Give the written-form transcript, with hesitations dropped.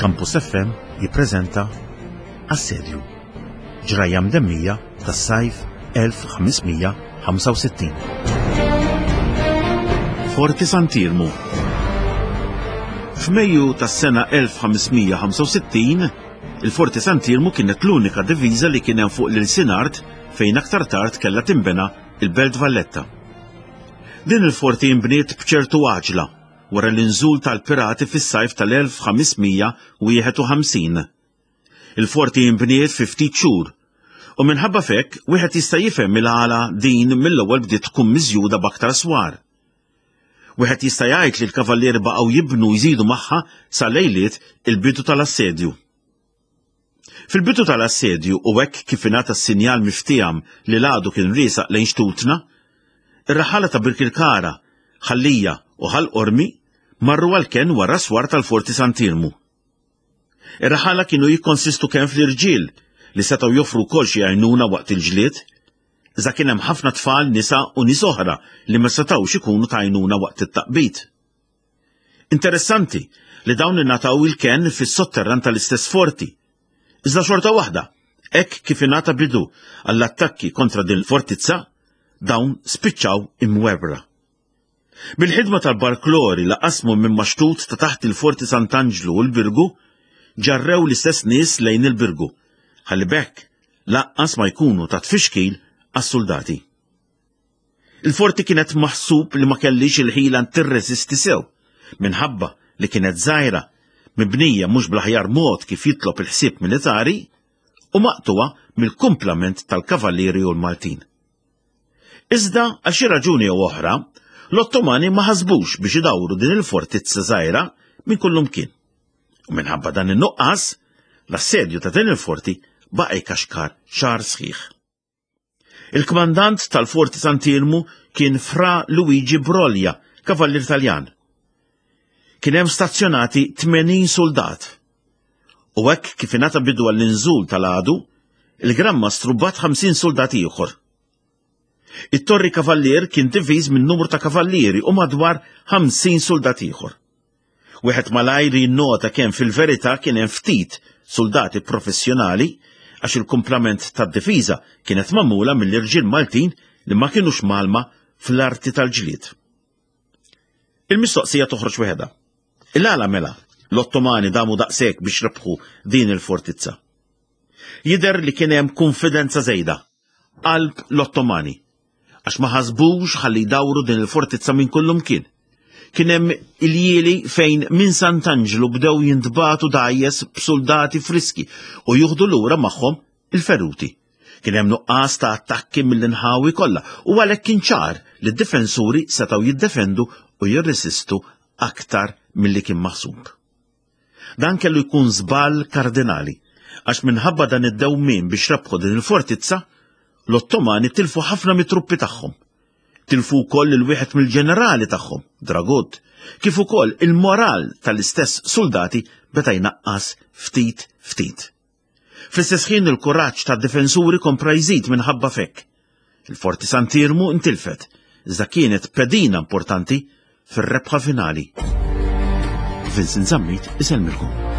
Campus FM jippreżenta Assedju, ġrajja mdemmija tas-sajf 1565. Forti Sant'Iermu F'Mejju tas-sena 1565, il-Forti Sant'Iermu kienet l-unika diviża li kien hemm fuq l-ilsien art fejn aktar tard kellha tinbena il-Belt Valletta. Din il-forti inbniet b'ċertu għaġla wara l-inżul tal-pirati fis-sajf tal-1551. Il-forti inbniet fi ftit xhur u minħabba f'hekk wieħed jista' jifhem il-għala din mill-ewwel bdiet tkun miżjuda b'aktar swar. Wieħed jista' jgħid li l-kavallieri baqgħu jibnu jżidu magħha sa lejliet il-bidu tal-assedju. Fil-bidu tal-assedju u hekk kif ingħata s-sinjal miftieham li l-għadu kien riesaq lejn xtutna, ir-raħħala ta' Birkirkara, Ħal Lija u Ħal Qormi marru għall-kenn wara s-swar tal-Forti Sant'Iermu. Ir-raħħala kienu jikkonsistu kemm fl-irġiel li setgħu joffru wkoll xi għajnuna waqt il-ġlied, iżda kien hemm ħafna tfal, nisa u nies oħra li ma setgħux ikunu ta' għajnuna waqt it-taqbid. Interessanti li dawn ingħataw il-kenn fis-sotterran tal-istess forti. Iżda xorta waħda, hekk kif ingħata bidu għall-attakki kontra din il-fortizza, dawn spiċċaw imwerwra. Bil-ħidma tal-barklori li qasmu minn maxtut ta' taħt il-Forti Sant'Anġlu u l-Birgu, ġarrew l-istess nies lejn il-Birgu, ħalli b'hekk lanqas ma jkunu ta' tfixkil għas-suldati. Il-forti kienet maħsub li ma kellix il-ħila tirreżisti sew, minħabba li kienet żgħira, mibnija mhux bl-aħjar mod kif jitlob il-ħsieb militari, u maqtugħa mill-kumplament tal-Kavallieri u l-Maltin. Iżda, għal xi raġuni jew oħra, l-Ottomani ma ħasbux biex idawru din il-fortizza żgħira minn kullumkien. U minħabba dan in-nuqqas, l-assedju ta' din il-forti baqa' jkaxkar xahar sħiħ. Il-kmandant tal-Forti Sant'Iermu kien Fra Luigi Broglia, kavallier Taljan. Kien hemm stazzjonati 80 suldat. U hekk kif ingħata bidu għall-inżul tal-għadu, il-Gran Mastru bagħat 50 suldat ieħor. It-Torri Kavallier kien diviż minn numru ta' kavallieri u madwar 50 suldat ieħor. Wieħed malajr jinnota kemm fil-verità kien hemm ftit suldati professjonali għax il-kumplament tad-difiża kienet magħmula mill-irġiel Maltin li ma kinux mgħallma fl-arti tal-ġlied. Il-mistoqsija toħroġ waħedha. Il-għala mela l-Ottomani damu daqshekk biex rebħu din il-fortizza? Jidher li kien hemm kunfidenza żejda qalb l-Ottomani għax ma ħasbux ħalli jdawru din il-fortizza minn kullumkien. Kien hemm iljieli fejn minn Sant'Anġlu bdew jintbagħtu dgħajjes b'suldati friski u jieħdu lura magħhom il-feruti. Kien hemm nuqqas ta' attakki mill-inħawi kollha u għalhekk kien ċar li d-difensuri setgħu jiddefendu u jirresistu aktar milli kien maħsub. Dan kellu jkun żball kardinali, għax minħabba dan id-dewmien biex rebħu din il-fortizza, l-Ottomani tilfu ħafna mit-truppi tagħhom. Tilfu wkoll lil wieħed mill-ġenerali tagħhom, Dragut, kif ukoll il-moral tal-istess suldati beda jnaqqas ftit ftit. Fl-istess ħin il-kuraġġ tad-difensuri kompla jżid minħabba f'hekk. Il-Forti Sant'Iermu ntilfet, iżda kienet pedina importanti fir-rebħa finali. Vincent Zammit isellmilkom.